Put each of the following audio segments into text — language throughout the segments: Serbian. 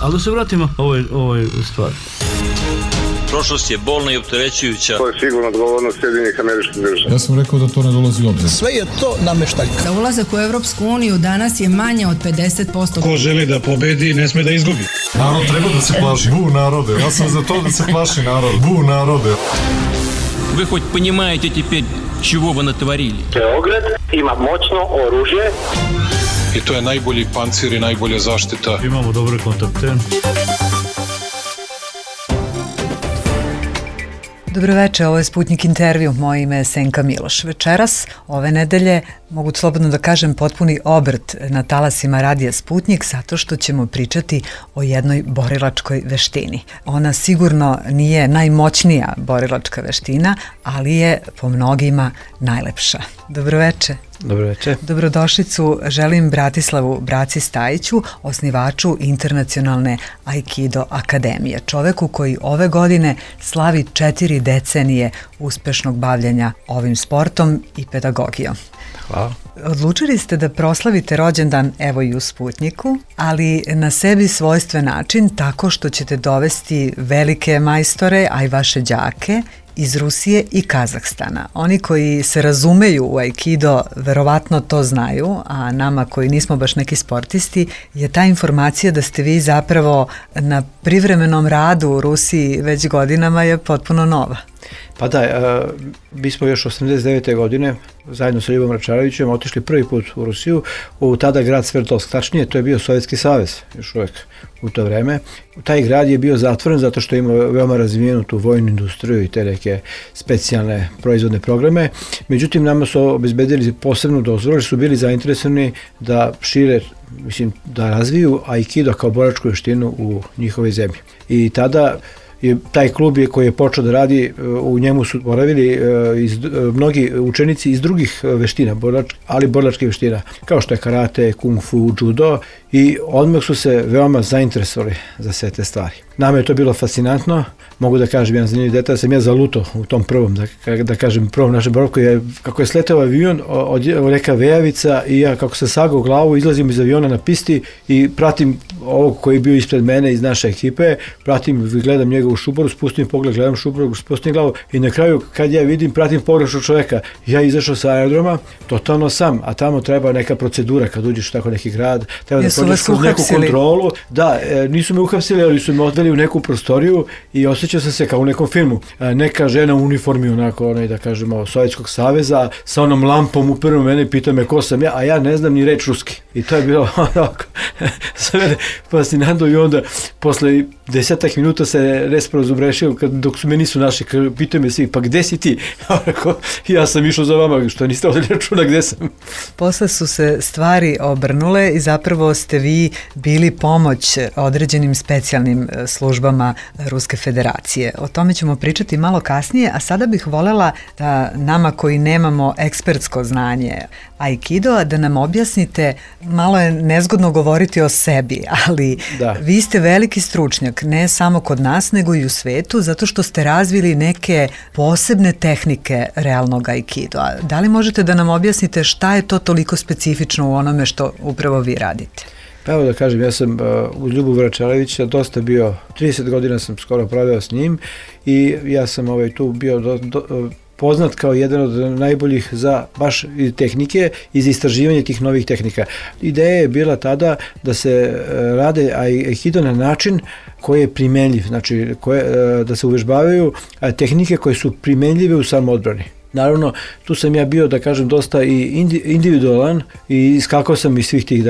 Ali da se vratimo ovoj stvari. Prošlost je bolna i opterećujuća. To je sigurno odgovornost Sjedinjenih Američkih Država. Ja sam rekao da to ne dolazi u obzir. Sve je to nameštaljka. Da ulazak u Evropsku uniju danas je manje od 50%. Ko želi da pobedi, ne sme da izgubi. Narod treba da se plaši. Bu narode. Ja sam za to da se plaši narod. Bu narode. Вы хоть понимаете теперь, чего вы натворили? Beograd ima moćno oružje. I to je najbolji pancir i najbolja zaštita. Imamo dobre kontakte. Dobroveče, ovo je Sputnik intervju, moje ime je Senka Miloš. Večeras, ove nedelje, mogu slobodno da kažem potpuni obrt na talasima radija Sputnik, zato što ćemo pričati o jednoj borilačkoj veštini. Ona sigurno nije najmoćnija borilačka veština, ali je po mnogima najlepša. Dobroveče. Dobroveče. Dobrodošlicu želim Bratislavu Braci Stajiću, osnivaču Internacionalne Aikido akademije, čoveku koji ove godine slavi 4 decenije uspešnog bavljenja ovim sportom i pedagogijom. Hvala. Odlučili ste da proslavite rođendan evo i u Sputniku, ali na sebi svojstven način tako što ćete dovesti velike majstore, a i vaše đake iz Rusije i Kazahstana. Oni koji se razumeju u Aikido verovatno to znaju, a nama koji nismo baš neki sportisti je ta informacija da ste vi zapravo na privremenom radu u Rusiji već godinama je potpuno nova. Pa da, mi smo još 89. godine zajedno sa Ljubom Račarevićem otišli prvi put u Rusiju, u tada grad Sverdlovsk, tačnije to je bio Sovjetski savez još uvek u to vreme. Taj grad je bio zatvoren zato što ima veoma razvijenu tu vojnu industriju i te neke specijalne proizvodne programe. Međutim, nama su obezbedili posebnu dozvolu jer su bili zainteresovani da šire, da razviju Aikido kao borilačku veštinu u njihovoj zemlji. I tada taj klub koji je počeo da radi, u njemu su boravili mnogi učenici iz drugih veština, ali borilačkih veština, kao što je karate, kung fu, judo, i odmah su se veoma zainteresovali za sve te stvari. Nama je to bilo fascinantno, mogu da kažem jedan zanimljiv detalj, sam ja zalutao u tom prvom, da kažem prvom našem boravku, kako je sletao avion od reka Vejavica i ja kako sam sagao glavu, izlazim iz aviona na pisti i pratim ovog koji je bio ispred mene iz naše ekipe, pratim, gledam njega u šuboru, spustim pogled, gledam šuboru, spustim glavu i na kraju kad ja vidim, pratim pogrešnog čoveka, ja izašao sa aerodroma, totalno sam, a tamo treba neka procedura kad uđeš u tako neki grad, treba da prođeš kroz neku kontrolu. Da, nisu me uhapsili, ali su me odveli u neku prostoriju i osjećao sam se kao u nekom filmu. Neka žena u uniformi, onako, da kažemo, Sovjetskog saveza, sa onom lampom upravo mene i pita me ko sam ja, a ja ne znam ni reč ruski. I to je bilo onako, za mene fascinantno i onda posle 10 minuta se respravo zubrešio, dok su me nisu našli, pitaju me svi, pa gde si ti? Ja sam išao za vama, što niste ovdje računa gde sam. Posle su se stvari obrnule i zapravo ste vi bili pomoć određenim specijalnim službama Ruske federacije. O tome ćemo pričati malo kasnije, a sada bih volela da nama koji nemamo ekspertsko znanje Aikido, da nam objasnite, malo je nezgodno govoriti o sebi, ali vi ste veliki stručnjak, ne samo kod nas, nego i u svetu, zato što ste razvili neke posebne tehnike realnog Aikidoa. Da li možete da nam objasnite šta je to toliko specifično u onome što upravo vi radite? Pa evo da kažem, ja sam uz Ljubu Račarevića dosta bio, 30 godina sam skoro proveo s njim i ja sam tu bio poznat kao jedan od najboljih za baš tehnike i za istraživanje tih novih tehnika. Ideja je bila tada da se rade Aikido na način koji je primenljiv, znači da se uvežbavaju tehnike koje su primenljive u samoodbrani. Naravno, tu sam ja bio, da kažem, dosta i individualan i iskakao sam iz svih tih,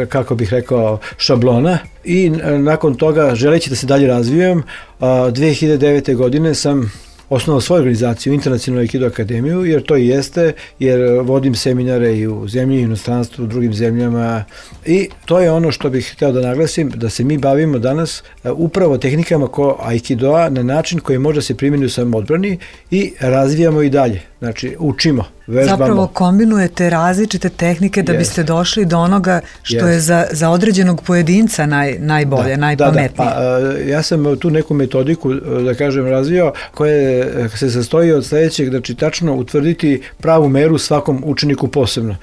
kako bih rekao, šablona i nakon toga, želeći da se dalje razvijem, 2009. godine sam osnovao svoju organizaciju, Internacionalnu Aikido akademiju, jer to i jeste, jer vodim seminare i u zemlji, i u inostranstvu, u drugim zemljama i to je ono što bih hteo da naglasim, da se mi bavimo danas upravo tehnikama Aikidoa na način koji može se primjeni u samoodbrani i razvijamo i dalje, znači učimo. Vežbamo. Zapravo kombinujete različite tehnike da biste došli do onoga što je za određenog pojedinca najbolje, najpametnije. Ja sam tu neku metodiku, da kažem, razvio koja se sastoji od sledećeg, znači tačno utvrditi pravu meru svakom učeniku posebno.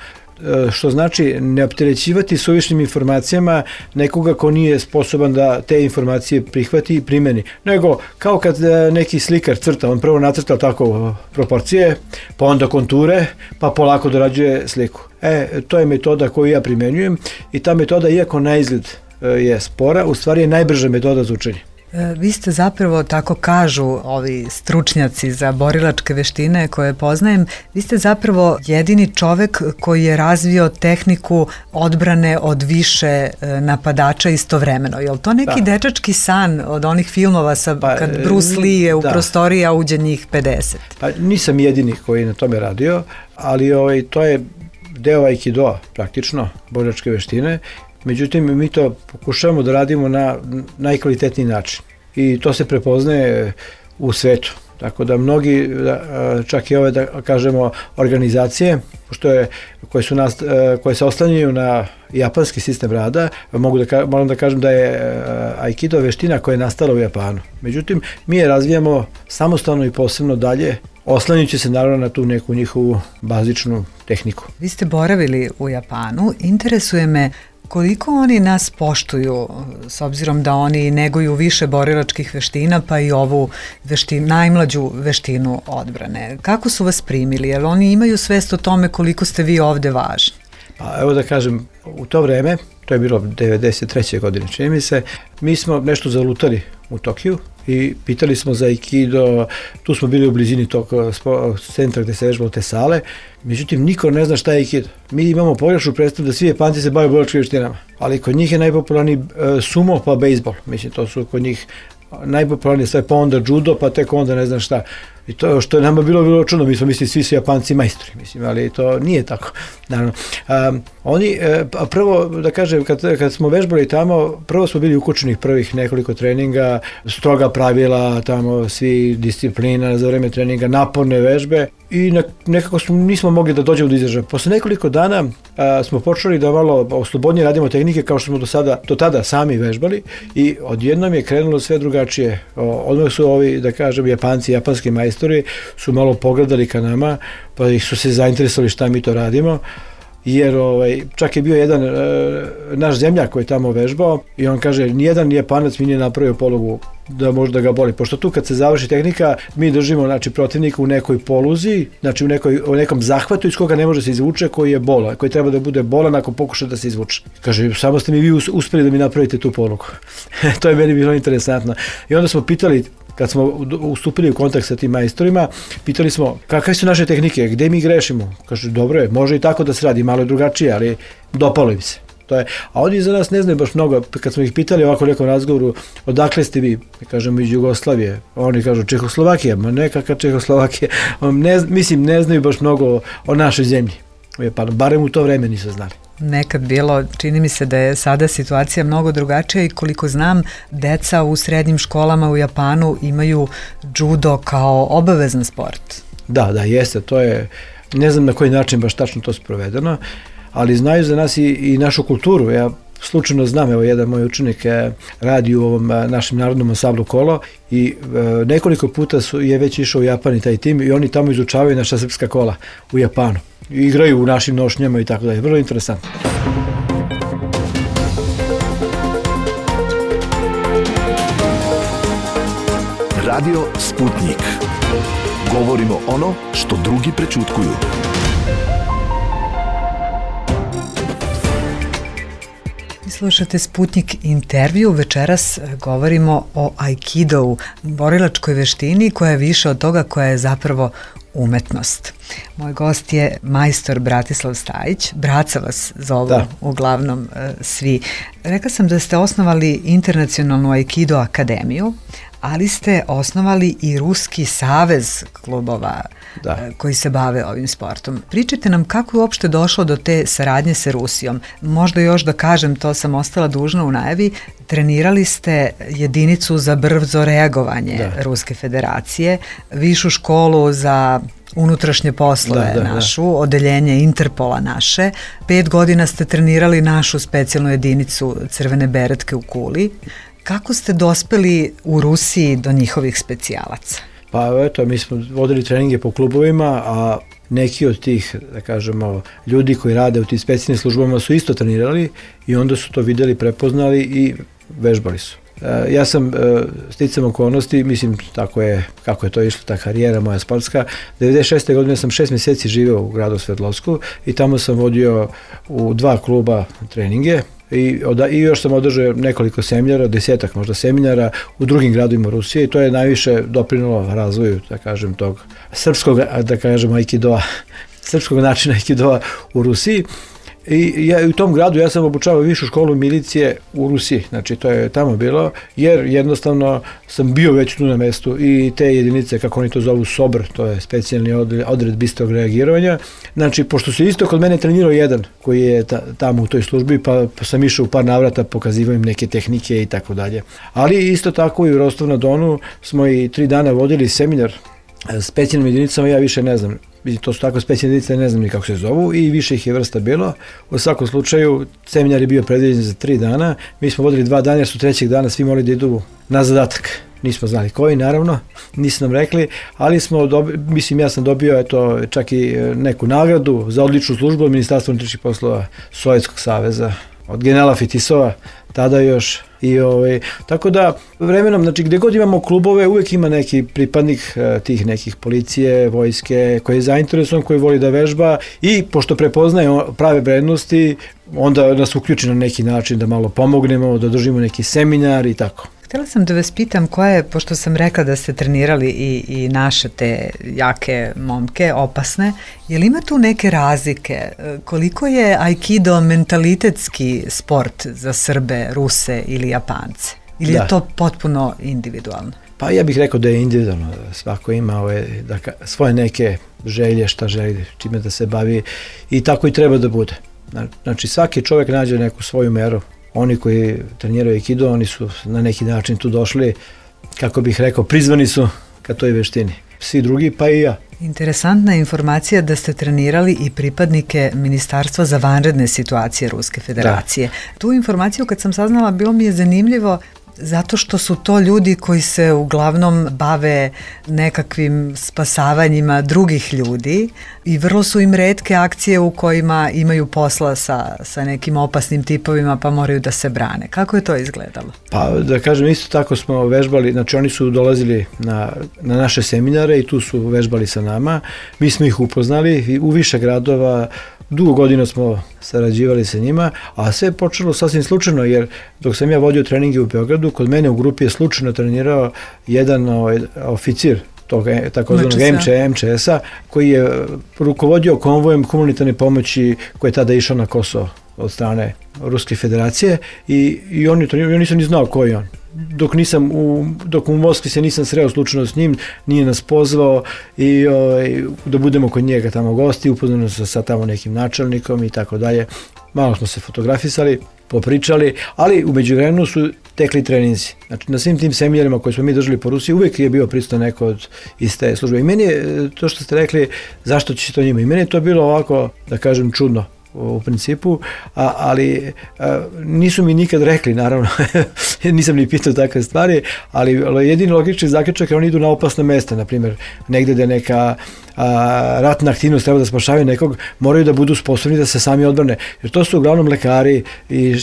što znači ne opterećivati suvišnim informacijama nekoga ko nije sposoban da te informacije prihvati i primeni. Nego, kao kad neki slikar crta, on prvo nacrta tako proporcije, pa onda konture, pa polako dorađuje sliku. To je metoda koju ja primenjujem i ta metoda, iako na izgled je spora, u stvari je najbrža metoda za učenje. Vi ste zapravo, tako kažu ovi stručnjaci za borilačke veštine koje poznajem, vi ste zapravo jedini čovek koji je razvio tehniku odbrane od više napadača istovremeno. Je li to neki dečački san od onih filmova kad Bruce Lee je u prostoriji, a uđe njih 50? Pa nisam jedini koji na tome radio, ali to je deo aikidoa praktično, borilačke veštine. Međutim, mi to pokušavamo da radimo na najkvalitetniji način i to se prepoznaje u svetu. Tako da mnogi, čak i ove, da kažemo, organizacije, koje se oslanjaju na japanski sistem rada, moram da kažem da je aikido veština koja je nastala u Japanu. Međutim, mi je razvijamo samostalno i posebno dalje, oslanjujući se naravno na tu neku njihovu bazičnu tehniku. Vi ste boravili u Japanu, interesuje me koliko oni nas poštuju, s obzirom da oni neguju više borilačkih veština, pa i ovu najmlađu veštinu odbrane. Kako su vas primili? Jer oni imaju svest o tome koliko ste vi ovde važni? Pa evo da kažem, u to vreme, to je bilo 93. godine, čini mi se, mi smo nešto zalutali u Tokiju i pitali smo za aikido, tu smo bili u blizini tog centra gde se vežbalo te sale, međutim niko ne zna šta je aikido. Mi imamo pogrešnu predstavu da svi Japanci se bave borilačkim veštinama, ali kod njih je najpopularniji sumo pa bejsbol, mislim to su kod njih najpopularnije sve, pa onda judo, pa tek onda ne znam šta. I to što je nama bilo čudno, mi smo mislili svi su Japanci majstori, mislim, ali to nije tako. Naravno, oni, prvo da kažem, kad smo vežbali tamo, prvo smo bili ukučenih prvih nekoliko treninga, stroga pravila, tamo svi disciplina za vreme treninga, naporne vežbe i nekako nismo mogli da dođemo do izražaja. Posle nekoliko dana smo počeli da malo oslobodnije radimo tehnike kao što smo do tada sami vežbali i odjednom je krenulo sve drugačije. Odmah su ovi, da kažem, Japanci, japanski majstori su malo pogledali ka nama, pa ih su se zainteresovali šta mi to radimo, jer čak je bio jedan naš zemljak koji je tamo vežbao i on kaže, nijedan Japanac mi nije napravio polugu da može da ga boli, pošto tu kad se završi tehnika mi držimo, znači, protivnika u nekoj poluzi, znači u nekom zahvatu iz koga ne može se izvuče, koji je bola, koji treba da bude bolan ako pokuša da se izvuče. Kaže, samo ste mi vi uspeli da mi napravite tu polugu. To je meni bilo interesantno. I onda smo pitali, kad smo ustupili u kontakt sa tim majstorima, pitali smo kakve su naše tehnike, gde mi grešimo. Kaže, dobro je, može i tako da se radi, malo je drugačije, ali dopalo im se. A oni za nas ne znaju baš mnogo. Kad smo ih pitali ovako u nekom razgovoru, odakle ste vi? Kažemo iz Jugoslavije. Oni kažu Čehoslovakija, ma nekakva Čehoslovakija. Mislim, ne znaju baš mnogo o našoj zemlji. Pa barem u to vreme nisu znali. Nekad bilo, čini mi se da je sada situacija mnogo drugačija i koliko znam, deca u srednjim školama u Japanu imaju judo kao obavezan sport. Da, jeste, to je, ne znam na koji način baš tačno to sprovedeno, ali znaju za nas i našu kulturu. Ja slučajno znam, evo jedan moj učenik radi u ovom našem narodnom ansamblu Kolo i nekoliko puta je već išao u Japan i taj tim i oni tamo izučavaju naša srpska kola u Japanu. Igraju u našim nošnjama i tako dalje. Vrlo interesantno. Radio Sputnik. Govorimo ono što drugi prećutkuju. Slušate Sputnik intervju, večeras govorimo o aikidovu, borilačkoj veštini koja je više od toga, koja je zapravo umetnost. Moj gost je majstor Bratislav Stajić, Braca vas zovu uglavnom svi. Rekla sam da ste osnovali internacionalnu aikido akademiju, ali ste osnovali i Ruski savez klubova koji se bave ovim sportom. Pričajte nam kako je uopšte došlo do te saradnje sa Rusijom. Možda još da kažem, to sam ostala dužna u najavi, trenirali ste jedinicu za brzo reagovanje Ruske federacije, višu školu za unutrašnje poslove našu, odeljenje Interpola naše. 5 godina ste trenirali našu specijalnu jedinicu Crvene beretke u Kuli. Kako ste dospeli u Rusiji do njihovih specijalaca? Pa eto, mi smo vodili treninge po klubovima, a neki od tih, da kažemo, ljudi koji rade u tim specijalnim službama su isto trenirali i onda su to videli, prepoznali i vežbali su. Ja sam sticam okolnosti, mislim kako je to išlo, ta karijera moja sportska. 96. godine sam 6 mjeseci živeo u gradu Sverdlovsku i tamo sam vodio u 2 kluba treninge i još sam održao nekoliko seminara, 10-ak možda seminara u drugim gradovima Rusije i to je najviše doprinalo razvoju, da kažem, tog srpskog, da kažem, aikidoa, srpskog načina aikidoa u Rusiji. I ja u tom gradu ja sam obučavao višu školu milicije u Rusiji, znači to je tamo bilo, jer jednostavno sam bio već tu na mestu i te jedinice, kako oni to zovu SOBR, to je specijalni odred bistrog reagiranja, znači pošto se isto kod mene trenirao jedan koji je tamo u toj službi, pa sam išao u par navrata, pokazivao im neke tehnike i tako dalje. Ali isto tako i u Rostov-na-Donu smo i 3 dana vodili seminar specijalnim jedinicama, ja više ne znam, to su tako specijalne jedinice, ne znam ni kako se zovu i više ih je vrsta bilo. U svakom slučaju, seminar je bio predviđen za 3 dana, mi smo vodili 2 dana jer su 3. dana svi morali da idu na zadatak. Nismo znali koji, naravno, nisu nam rekli, ali ja sam dobio čak i neku nagradu za odličnu službu od Ministarstva unutrašnjih poslova Sovjetskog saveza, od generala Fetisova, tada još. Tako da vremenom, znači gdje god imamo klubove, uvijek ima neki pripadnik tih nekih policije, vojske, koji je zainteresovan, koji voli da vežba i pošto prepoznaje prave vrednosti, onda nas uključi na neki način da malo pomognemo, da držimo neki seminar i tako. Htjela sam da vas pitam pošto sam rekla da ste trenirali i naše te jake momke, opasne, je li ima tu neke razlike? Koliko je aikido mentalitetski sport za Srbe, Ruse ili Japance? Ili je to potpuno individualno? Pa ja bih rekao da je individualno, svako ima svoje neke želje, šta želi, čime da se bavi i tako i treba da bude. Znači svaki čovjek nađe neku svoju meru. Oni koji treniraju aikido, oni su na neki način tu došli, kako bih rekao, prizvani su ka toj veštini. Svi drugi, pa i ja. Interesantna informacija da ste trenirali i pripadnike Ministarstva za vanredne situacije Ruske federacije. Da. Tu informaciju kad sam saznala bilo mi je zanimljivo zato što su to ljudi koji se uglavnom bave nekakvim spasavanjima drugih ljudi i vrlo su im retke akcije u kojima imaju posla sa nekim opasnim tipovima pa moraju da se brane. Kako je to izgledalo? Pa da kažem, isto tako smo vežbali, znači oni su dolazili na naše seminare i tu su vežbali sa nama. Mi smo ih upoznali u više gradova, dugo godina smo sarađivali sa njima, a sve je počelo sasvim slučajno, jer dok sam ja vodio treninge u Beogradu, kod mene u grupi je slučajno trenirao jedan oficir tog takozvanog MČS-a, koji je rukovodio konvojem humanitarne pomoći koji je tada išao na Kosovo od strane Ruske federacije i on nisam ni znao ko je on. Dok u Moskvi se nisam sreo slučajno s njim, nije nas pozvao i da budemo kod njega tamo gosti, upoznano se sa tamo nekim načelnikom i tako dalje. Malo smo se fotografisali, popričali, ali u međuvremenu su tekli treninzi. Znači na svim tim seminarima koje smo mi držali po Rusiji uvijek je bio prisutan neko iz te službe. I meni je to što ste rekli, zašto će to njima? I meni je to bilo ovako, da kažem, čudno u principu, ali nisu mi nikad rekli, naravno, nisam ni pitao takve stvari, ali jedini logični zaključak je oni idu na opasna mesta, na primjer, negdje da neka ratna aktivnost treba da spašavaju nekog, moraju da budu sposobni da se sami odbrane, jer to su uglavnom lekari i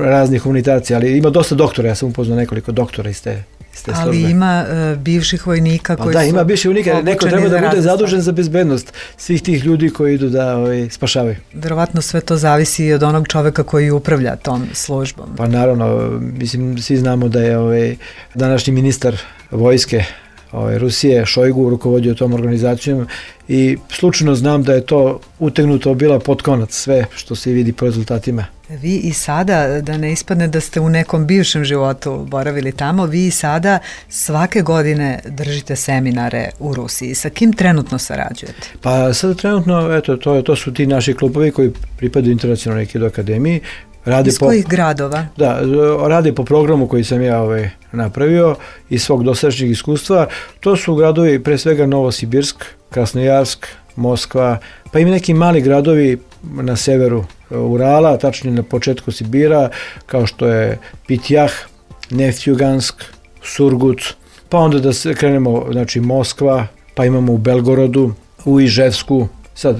razni humanitarci, ali ima dosta doktora, ja sam upoznao nekoliko doktora iz te službe. Ali ima bivših vojnika koji su... Da, ima bivših vojnika, neko treba da bude zadužen za bezbednost svih tih ljudi koji idu da spašavaju. Verovatno sve to zavisi i od onog čoveka koji upravlja tom službom. Pa naravno, mislim, svi znamo da je današnji ministar vojske Rusije, Šojgu, rukovodio tom organizacijom i slučajno znam da je to utegnuto bila pod konac, sve što se vidi po rezultatima. Vi i sada, da ne ispadne da ste u nekom bivšem životu boravili tamo, vi i sada svake godine držite seminare u Rusiji. Sa kim trenutno sarađujete? Pa sada trenutno, eto, to su ti naši klubovi koji pripadaju Internacionalnoj aikido akademiji. Iz kojih gradova? Da, rade po programu koji sam ja napravio iz svog dosadašnjeg iskustva. To su gradovi pre svega Novosibirsk, Krasnojarsk, Moskva, pa i neki mali gradovi na severu Urala, tačnije na početku Sibira, kao što je Pitjah, Neftjugansk, Surgut, pa onda da se krenemo, znači Moskva, pa imamo u Belgorodu, u Iževsku, sad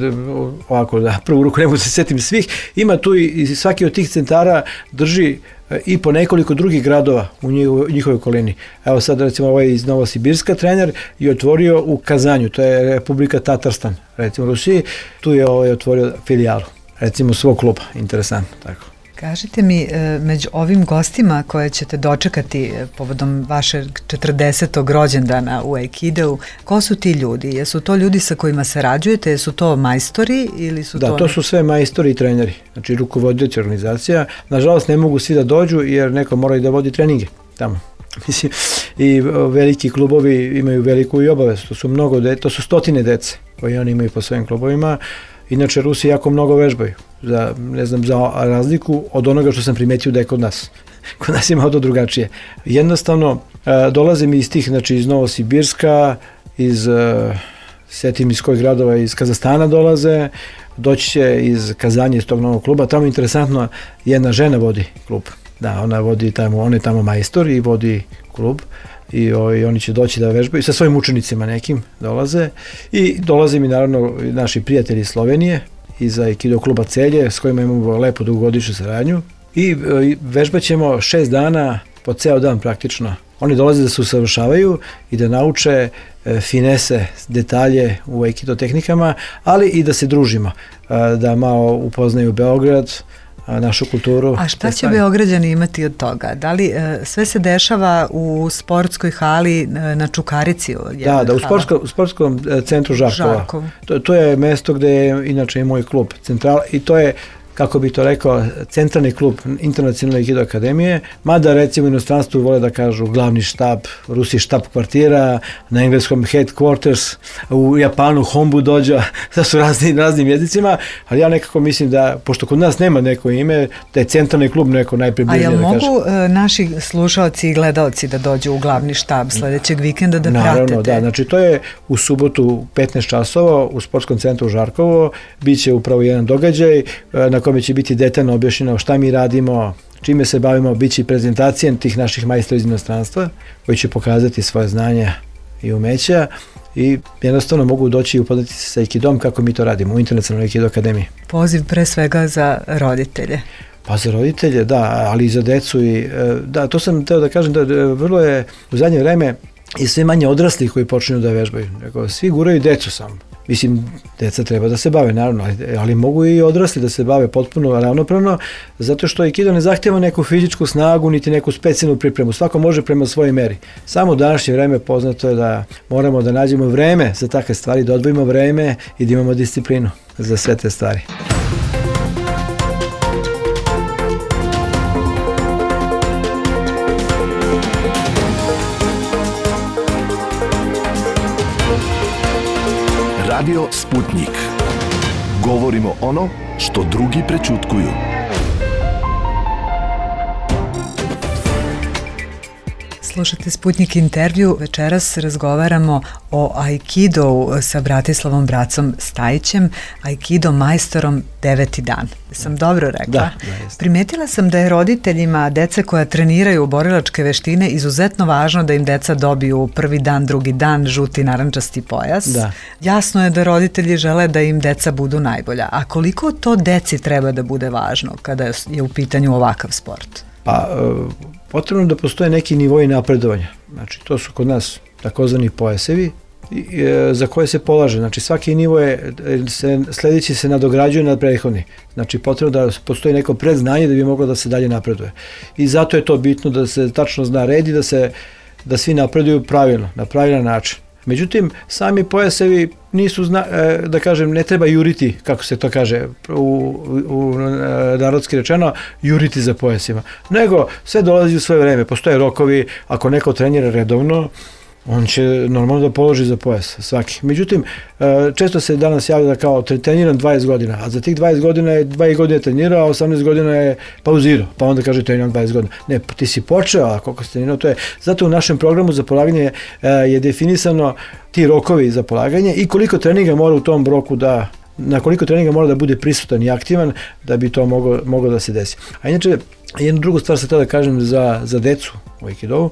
ovako da prvu ruku ne mogu se setim svih, ima tu i svaki od tih centara drži i po nekoliko drugih gradova u njihovoj okolini. Evo sad recimo ovaj iz Novosibirska trener je otvorio u Kazanju, to je Republika Tatarstan, recimo u Rusiji, tu je otvorio filijalu, recimo svog kluba, interesantno tako. Kažite mi, među ovim gostima koje ćete dočekati povodom vašeg 40. rođendana u Aikidou, ko su ti ljudi? Jesu to ljudi sa kojima sarađujete? Jesu to majstori ili su to... Da, to su sve majstori i treneri, znači rukovodioci organizacija. Nažalost ne mogu svi da dođu jer neko mora i da vodi treninge tamo. Mislim, i veliki klubovi imaju veliku i obavezu, to su stotine dece koje oni imaju po svojim klubovima. Inače, Rusi jako mnogo vežbaju, za razliku od onoga što sam primetio da je kod nas. Kod nas je malo drugačije. Jednostavno, dolazim iz tih, znači iz Novosibirska, setim iz kojih gradova, iz Kazahstana dolaze, doći će iz Kazanje, iz tog novog kluba. Tamo interesantno, jedna žena vodi klub. Da, ona vodi tamo, on je tamo majstor i vodi klub. I oni će doći da vežbaju, sa svojim učenicima nekim dolaze i dolaze mi naravno naši prijatelji iz Slovenije iz Aikido kluba Celje s kojima imamo lepo dugogodišnju saradnju i vežbat ćemo 6 dana po ceo dan praktično. Oni dolaze da se usavršavaju i da nauče finese, detalje u Aikido tehnikama, ali i da se družimo, da malo upoznaju Beograd, našu kulturu. A šta će Beograđani imati od toga? Da li sve se dešava u sportskoj hali na Čukarici? Da, u sportskom centru Žarkovo. To je mesto gde je inače i moj klub central i to je, kako bi to rekao, centralni klub Internacionalne Aikido akademije, mada recimo u inostranstvu vole da kažu glavni štab, Rusi štab kvartira, na engleskom headquarters, u Japanu Hombu dođa, da su raznim jezicima, ali ja nekako mislim da, pošto kod nas nema neko ime, da je centralni klub neko najpribližnije da kaže. A jel mogu naši slušaoci i gledaoci da dođu u glavni štab sledećeg vikenda da pratete? Naravno, da, znači to je u subotu 15 časova u sportskom centru Žarkovo, bit će upravo jedan događaj na kome će biti detaljno objašnjeno šta mi radimo, čime se bavimo, bit će i prezentacija tih naših majstora iz inostranstva koji će pokazati svoje znanja i umeća i jednostavno mogu doći i upoznati se sa Aikidom kako mi to radimo u Internacionalnoj Aikido akademiji. Poziv pre svega za roditelje. Pa za roditelje, da, ali i za decu i da, to sam teo da kažem da vrlo je u zadnje vreme i sve manje odraslih koji počinju da vežbaju. Svi guraju decu samo. Mislim, deca treba da se bave, naravno, ali mogu i odrasli da se bave potpuno ravnopravno, zato što Aikido ne zahtjeva neku fizičku snagu, niti neku specijalnu pripremu. Svako može prema svojoj meri. Samo u današnje vreme poznato je da moramo da nađemo vreme za takve stvari, da odvojimo vreme i da imamo disciplinu za sve te stvari. Radio Sputnik. Govorimo ono što drugi prećutkuju. Slušate Sputnik intervju. Večeras razgovaramo o Aikidou sa Bratislavom Bracom Stajićem, Aikido majstorom 9. dan. Sam dobro rekla? Da, primetila sam da je roditeljima dece koja treniraju borilačke veštine izuzetno važno da im deca dobiju prvi dan, drugi dan, žuti narančasti pojas. Da. Jasno je da roditelji žele da im deca budu najbolja. A koliko to deci treba da bude važno kada je u pitanju ovakav sport? Pa, potrebno da postoje neki nivoji napredovanja. Znači, to su kod nas takozvani pojasevi za koje se polaže. Znači, svaki nivo sledeći se nadograđuje nad prethodni. Znači, potrebno da postoji neko predznanje da bi moglo da se dalje napreduje. I zato je to bitno da se tačno zna red i da svi napreduju pravilno, na pravilan način. Međutim, sami pojasevi nisu, da kažem, ne treba juriti, kako se to kaže u narodski rečeno, juriti za pojasima. Nego, sve dolazi u svoje vreme, postoje rokovi, ako neko trenira redovno, on će normalno da položi za pojas, svaki. Međutim, često se danas javlja da kao treniram 20 godina, a za tih 20 godina je 2 godine trenirao, a 18 godina je pauzirao, pa onda kaže treniram 20 godina. Ne, ti si počeo, a koliko si trenirao, to je. Zato u našem programu za polaganje je definisano ti rokovi za polaganje i koliko treninga mora u tom roku na koliko treninga mora da bude prisutan i aktivan da bi to moglo da se desi. A inače, Jednu drugu stvar sam htio da kažem za decu u Aikidovu.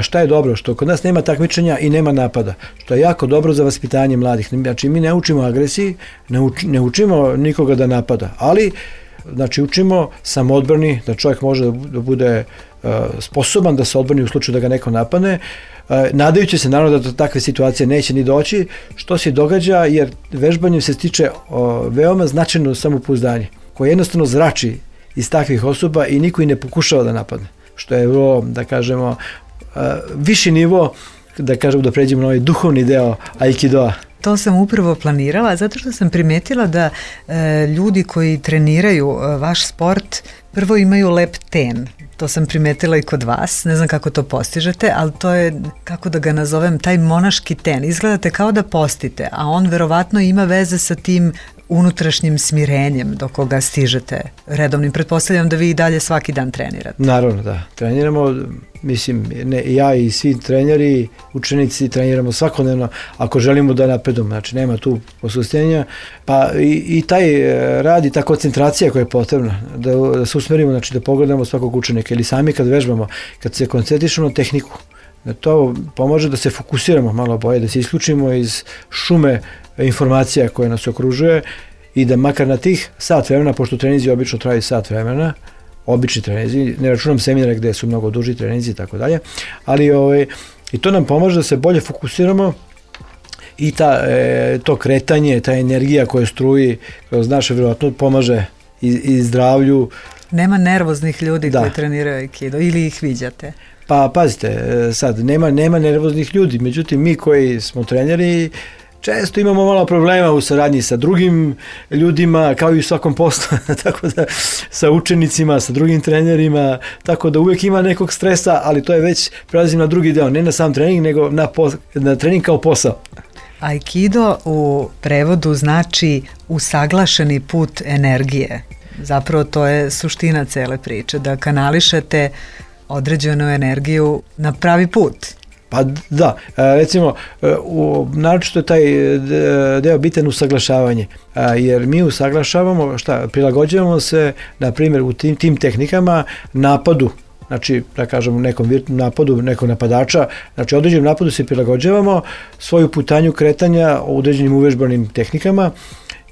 Šta je dobro? Što kod nas nema takmičenja i nema napada. Što je jako dobro za vaspitanje mladih. Znači mi ne učimo agresiji, ne učimo nikoga da napada, ali znači učimo samoodbrani, da čovjek može da bude sposoban da se odbrani u slučaju da ga neko napadne, nadajući se naravno da do takve situacije neće ni doći, što se događa jer vežbanjem se stiče veoma značajno samopouzdanje koje jednostavno zrači iz takvih osoba i niko i ne pokušava da napadne, što je vrlo, da kažemo, viši nivo, da kažemo, da pređemo na ovaj duhovni deo Aikidoa. To sam upravo planirala zato što sam primetila da ljudi koji treniraju vaš sport prvo imaju lep ten. To sam primetila i kod vas, ne znam kako to postižete, ali to je, kako da ga nazovem, taj monaški ten. Izgledate kao da postite, a on verovatno ima veze sa tim unutrašnjim smirenjem do koga stižete redovnim. Pretpostavljam da vi i dalje svaki dan trenirate. Naravno, da. Treniramo, mislim, ja i svi treneri, učenici treniramo svakodnevno ako želimo da napredujemo. Znači, nema tu posustenja. Pa i taj rad i ta koncentracija koja je potrebna, da se usmerimo, znači da pogledamo svakog učenika ili sami kad vežbamo, kad se koncentrišemo na tehniku, da to pomože da se fokusiramo malo bolje, da se isključimo iz šume informacija koje nas okružuje i da makar na tih sat vremena, pošto treninzi obično traju sat vremena, obični treninzi, ne računam seminare gde su mnogo duži treninzi i tako dalje, ali i to nam pomaže da se bolje fokusiramo i to kretanje, ta energija koja struji kroz naše, vjerojatno pomaže i zdravlju. Nema nervoznih ljudi koji treniraju Aikido ili ih viđate? Pa pazite, sad nema nervoznih ljudi, međutim mi koji smo treneri često imamo malo problema u saradnji sa drugim ljudima, kao i u svakom poslu, tako da sa učenicima, sa drugim trenerima, tako da uvijek ima nekog stresa, ali to je već, prelazim na drugi deo, ne na sam trening, nego na trening kao posao. Aikido u prevodu znači usaglašeni put energije. Zapravo to je suština cele priče, da kanališete određenu energiju na pravi put. Pa da, recimo, naročito je taj deo bitan usaglašavanje, jer mi usaglašavamo, prilagođavamo se, na primjer, u tim tehnikama napadu, znači, da kažemo, nekom napadu, nekog napadača, znači, određenom napadu se prilagođavamo svoju putanju kretanja u određenim uvežbanim tehnikama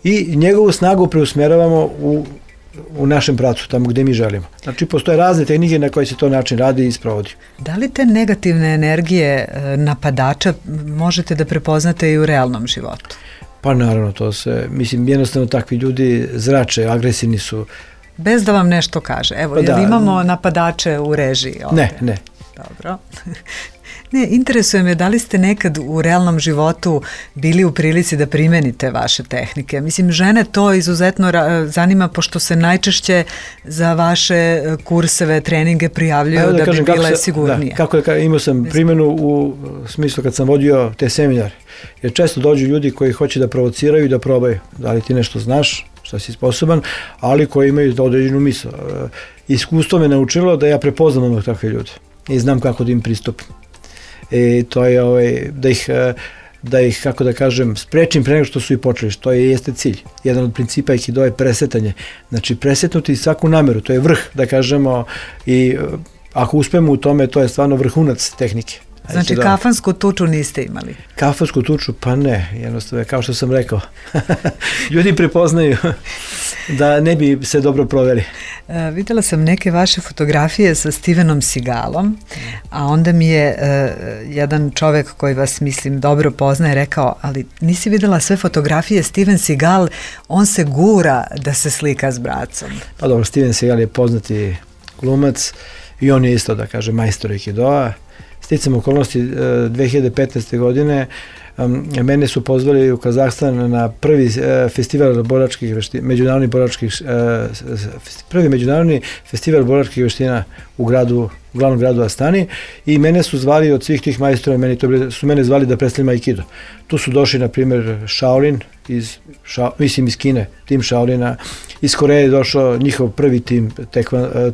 i njegovu snagu preusmjeravamo u našem pravcu, tamo gde mi želimo. Znači, postoje razne tehnike na koji se to način radi i sprovodi. Da li te negativne energije napadača možete da prepoznate i u realnom životu? Pa naravno, to se, mislim, jednostavno takvi ljudi zrače, agresivni su. Bez da vam nešto kaže. Evo, jel imamo napadače u režiji ovde? Ne. Dobro. Ne, interesuje me da li ste nekad u realnom životu bili u prilici da primenite vaše tehnike. Mislim, žene to izuzetno zanima, pošto se najčešće za vaše kurseve, treninge prijavljuju da bi bile sigurnije. Imao sam primjenu u smislu kad sam vodio te seminare. Jer često dođu ljudi koji hoće da provociraju i da probaju. Da li ti nešto znaš, šta si sposoban, ali koji imaju određenu misao. Iskustvo me naučilo da ja prepoznam onog takve ljude i znam kako da im pristupim. I to je da ih, kako da kažem, sprečim pre nego što su i počeli, što jeste cilj. Jedan od principa Aikido je presetanje. Znači, presetnuti svaku nameru, to je vrh, da kažemo, i ako uspemo u tome, to je stvarno vrhunac tehnike. Znači, kafansku tuču niste imali? Kafansku tuču, pa ne, jednostavno, kao što sam rekao. Ljudi prepoznaju da ne bi se dobro proveli. Videla sam neke vaše fotografije sa Stevenom Seagalom, a onda mi je jedan čovek koji vas, mislim, dobro poznaje rekao, ali nisi videla sve fotografije, Steven Seagal, on se gura da se slika s bracom. Pa dobro, Steven Seagal je poznati glumac i on je isto, da kaže, majstor Aikidoa. Sticam okolnosti 2015. godine mene su pozvali u Kazahstan na prvi festival boračkih veština, prvi međunarodni festival boračkih veština u glavnom gradu Astani i mene su zvali od svih tih majstora, su mene zvali da predstavljam Aikido. Tu su došli, na primjer, Shaolin, iz Kine, tim Shaolina, iz Koreje je došao njihov prvi tim,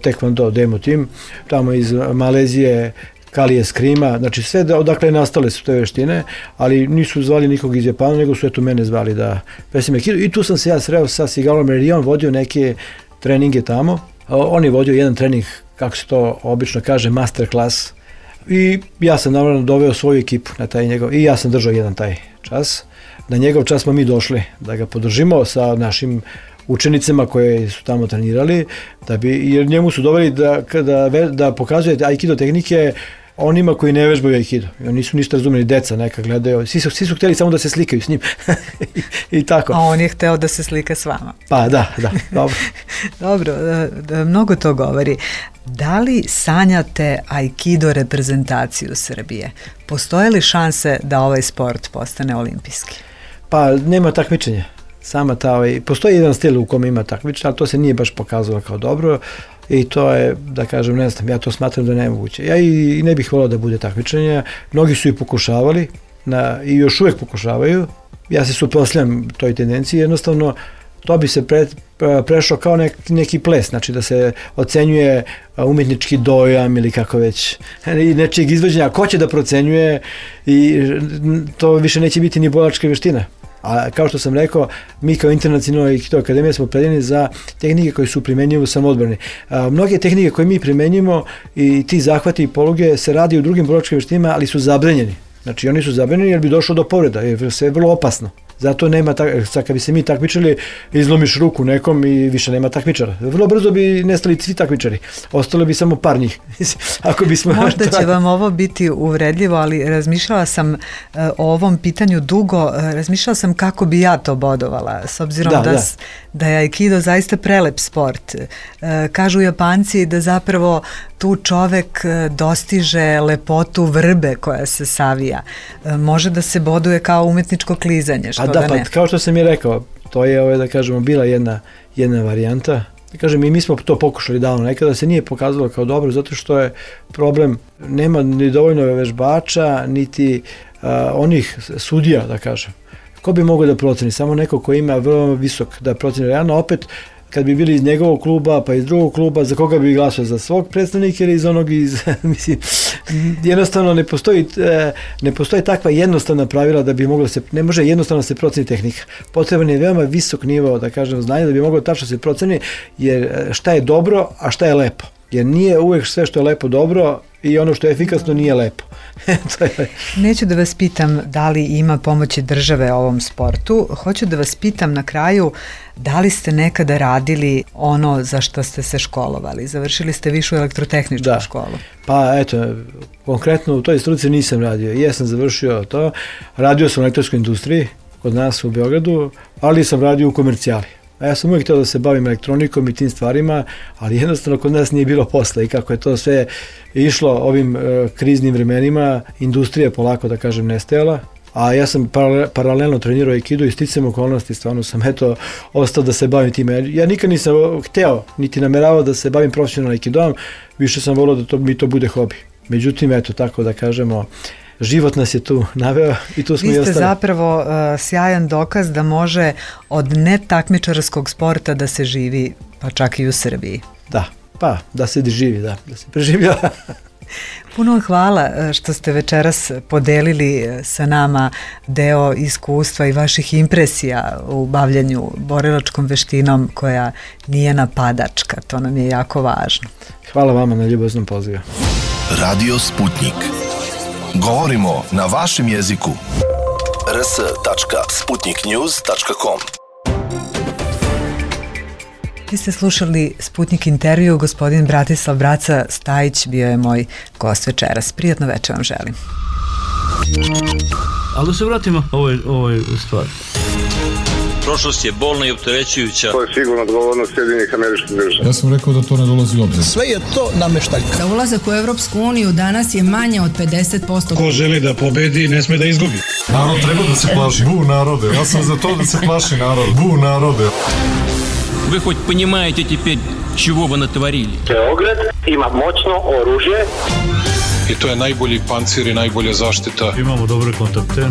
Taekwondo demo tim, tamo iz Malezije, Kalije Skrima, znači sve odakle nastale su te veštine, ali nisu zvali nikog iz Japana, nego su eto mene zvali da predstavim Aikido i tu sam se ja sreo sa Seagalom jer je on vodio neke treninge tamo, On je vodio jedan trening, kako se to obično kaže, master class, i ja sam naravno doveo svoju ekipu na taj njegov, i ja sam držao jedan taj čas. Na njegov čas smo mi došli da ga podržimo sa našim učenicima koji su tamo trenirali, jer njemu su doveli da pokazuje aikido tehnike onima koji ne vežbaju aikido. Oni nisu ništa razumeli, deca neka gledaju, svi su htjeli samo da se slikaju s njim. I tako. A on je hteo da se slika s vama. Pa da, dobro. Dobro, mnogo to govori. Da li sanjate aikido reprezentaciju Srbije? Postoje li šanse da ovaj sport postane olimpijski? Pa nema takmičenja. Postoji jedan stil u kome ima takmičenja, ali to se nije baš pokazalo kao dobro i to je, da kažem, ne znam, ja to smatram da je nemoguće. Ja i ne bih volao da bude takmičenja, mnogi su i pokušavali i još uvijek pokušavaju. Ja se suprotstavljam toj tendenciji, jednostavno to bi se prešlo kao neki ples, znači da se ocenjuje umjetnički dojam ili kako već, i nečijeg izvođenja, ko će da procenjuje, i to više neće biti ni borilačka vještina. A kao što sam rekao, mi kao Internacionalna aikido akademija smo opredeljeni za tehnike koje su primjenjive u samoodbrani. Mnoge tehnike koje mi primenjimo i ti zahvati i poluge se radi u drugim borilačkim vještinama, ali su zabranjeni. Znači oni su zabranjeni jer bi došlo do povreda, jer sve je vrlo opasno. Zato nema, kad bi se mi takmičili, izlomiš ruku nekom i više nema takmičara. Vrlo brzo bi nestali svi takmičari. Ostalo bi samo par njih. Možda će vam ovo biti uvredljivo, ali razmišljala sam o ovom pitanju dugo. Razmišljala sam kako bi ja to bodovala, s obzirom da je aikido zaista prelep sport. Kažu Japanci da zapravo tu čovek dostiže lepotu vrbe koja se savija. Može da se boduje kao umetničko klizanje, što da ne. Kao što sam i rekao, to je, da kažemo, bila jedna varijanta. Da kažem, i mi smo to pokušali davno, nekada se nije pokazalo kao dobro, zato što je problem, nema ni dovoljno vežbača, niti onih sudija, da kažem. Ko bi mogao da proceni? Samo neko ko ima vrlo visok da proceni realno, opet kad bi bili iz njegovog kluba, pa iz drugog kluba, za koga bi glasao, za svog predstavnika ili iz onog mislim, jednostavno ne postoji takva jednostavna pravila da bi moglo se, ne može jednostavno se proceni tehnika. Potreban je veoma visok nivo, da kažem, znanja da bi moglo tačno se proceni, jer šta je dobro, a šta je lepo. Jer nije uvijek sve što je lepo dobro i ono što je efikasno nije lepo. Neću da vas pitam da li ima pomoći države ovom sportu, hoću da vas pitam na kraju da li ste nekada radili ono za što ste se školovali, završili ste višu elektrotehničku školu. Pa eto, konkretno u toj struci nisam radio, jesam završio to, radio sam u elektronskoj industriji kod nas u Beogradu, ali sam radio u komercijali. A ja sam uvijek htio da se bavim elektronikom i tim stvarima, ali jednostavno kod nas nije bilo posla i kako je to sve išlo ovim kriznim vremenima, industrija polako, da kažem, nestajala, a ja sam paralelno trenirao aikido i sticajem okolnosti, stvarno sam ostao da se bavim time. Ja nikad nisam hteo, niti nameravao da se bavim profesionalno aikidom, više sam volao da mi to bude hobi. Međutim, eto, tako da kažemo, život nas je tu naveo i tu smo i ostali. Vi ste zapravo sjajan dokaz da može od netakmičarskog sporta da se živi, pa čak i u Srbiji. Da se živi, da se preživljava. Puno hvala što ste večeras podelili sa nama deo iskustva i vaših impresija u bavljanju borilačkom veštinom koja nije napadačka, to nam je jako važno. Hvala vama na ljubaznom pozivu. Radio Sputnik. Govorimo na vašem jeziku. rs.sputniknews.com. Vi ste slušali Sputnik intervju, gospodin Bratislav Braca Stajić bio je moj gost večeras. Prijatno večer vam želim. Ali da se vratimo ovoj stvari. Prošlost je bolna i opterećujuća. To je sigurno odgovornost Sjedinjenih Američkih Država. Ja sam rekao da to ne dolazi u obzir. Sve je to nameštaljka. Za ulazak u Evropsku uniju danas je manje od 50%. Ko želi da pobedi, ne sme da izgubi. Narod treba da se plaši. Bu narode. Ja sam za to da se plaši narod. Bu narode. Вы хоть понимаете теперь, чего вы натворили? Beograd ima moćno oružje. I to je najbolji pancir i najbolja zaštita. Imamo dobre kontakte.